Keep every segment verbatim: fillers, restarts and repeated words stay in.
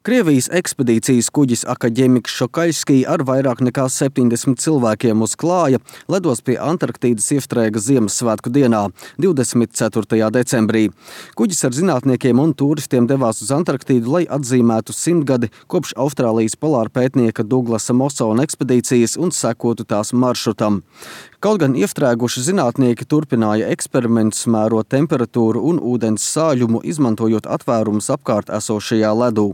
Krievijas ekspedīcijas kuģis Akademiks Šokaļskij ar vairāk nekā septiņdesmit cilvēkiem uz klāja ledos pie Antarktīdas iestrēga Ziemassvētku dienā, divdesmit ceturtajā decembrī. Kuģis ar zinātniekiem un tūristiem devās uz Antarktīdu, lai atzīmētu simtgadi kopš Austrālijas polāra pētnieka Duglasa Mosona ekspedīcijas un sekotu tās maršrutam. Kaut gan iestrēguši zinātnieki turpināja eksperimentus, mērot temperatūru un ūdens sāļumu, izmantojot atvērumus apkārt esošajā ledū.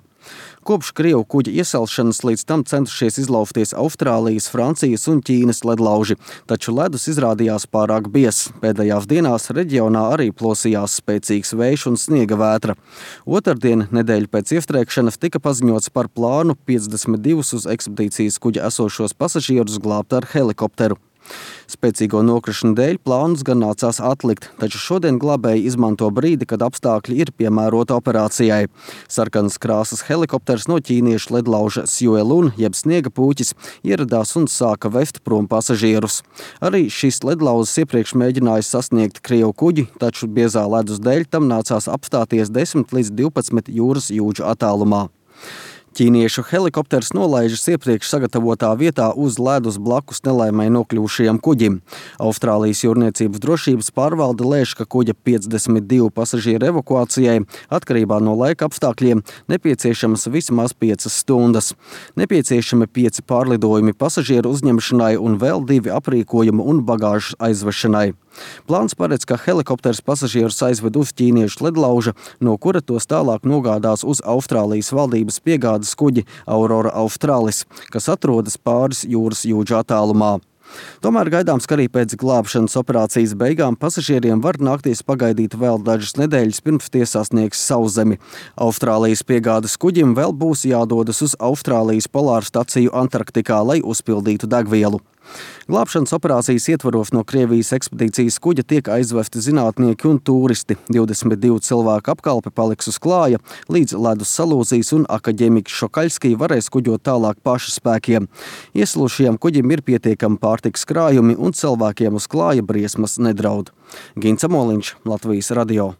Kopš Krievu kuģa ieselšanas līdz tam centušies izlaufties Austrālijas, Francijas un Ķīnas ledlauži, taču ledus izrādījās pārāk biezs. Pēdējās dienās reģionā arī plosījās spēcīgs vējš un sniega vētra. Otrdien, nedēļu pēc iestrēgšanas, tika paziņots par plānu piecdesmit divus uz ekspedīcijas kuģa esošos pasažierus glābt ar helikopteru. Spēcīgo nokrišanu dēļ plānus gan nācās atlikt, taču šodien glābēji izmanto brīdi, kad apstākļi ir piemēroti operācijai. Sarkanas krāsas helikopters no ķīniešu ledlauža Sjuelun, jeb sniega pūķis, ieradās un sāka vest prom pasažierus. Arī šis ledlauzis iepriekš mēģināja sasniegt Krievu kuģi, taču biezā ledus dēļ tam nācās apstāties desmit līdz divpadsmit jūras jūdžu attālumā. Ķīniešu helikopters nolaižas iepriekš sagatavotā vietā uz ledus blakus nelaimei nokļuvušajam kuģim. Austrālijas jūrniecības drošības pārvalde lēš, ka kuģa piecdesmit divu pasažieru evakuācijai atkarībā no laika apstākļiem nepieciešamas vismaz piecas stundas. Nepieciešami pieci pārlidojumi pasažieru uzņemšanai un vēl divi aprīkojumu un bagāžas aizvešanai. Plāns paredz, ka helikopters pasažierus aizved uz ķīniešu ledlauža, no kura tos tālāk nogādās uz Austrālijas valdības piegādes kuģi Aurora Australis, kas atrodas pāris jūras jūdžu attālumā. Tomēr gaidāms, ka arī pēc glābšanas operācijas beigām pasažieriem var nākties pagaidīt vēl dažas nedēļas, pirms tie sasniegs Sauszemi. Austrālijas piegādes kuģim vēl būs jādodas uz Austrālijas polāru staciju Antarktikā, lai uzpildītu degvielu. Glābšanas operācijas ietvaros no Krievijas ekspedīcijas kuģa tiek aizvesti zinātnieki un tūristi. divdesmit divu cilvēku apkalpe paliks uz klāja, līdz ledus salūzīs un Akademiks Šokaļskij varēs kuģot tālāk paša spēkiem. Ieslūšajam kuģim ir pietiekami pārtikas krājumi un cilvēkiem uz klāja briesmas nedraud. Gints Amoliņš, Latvijas radio.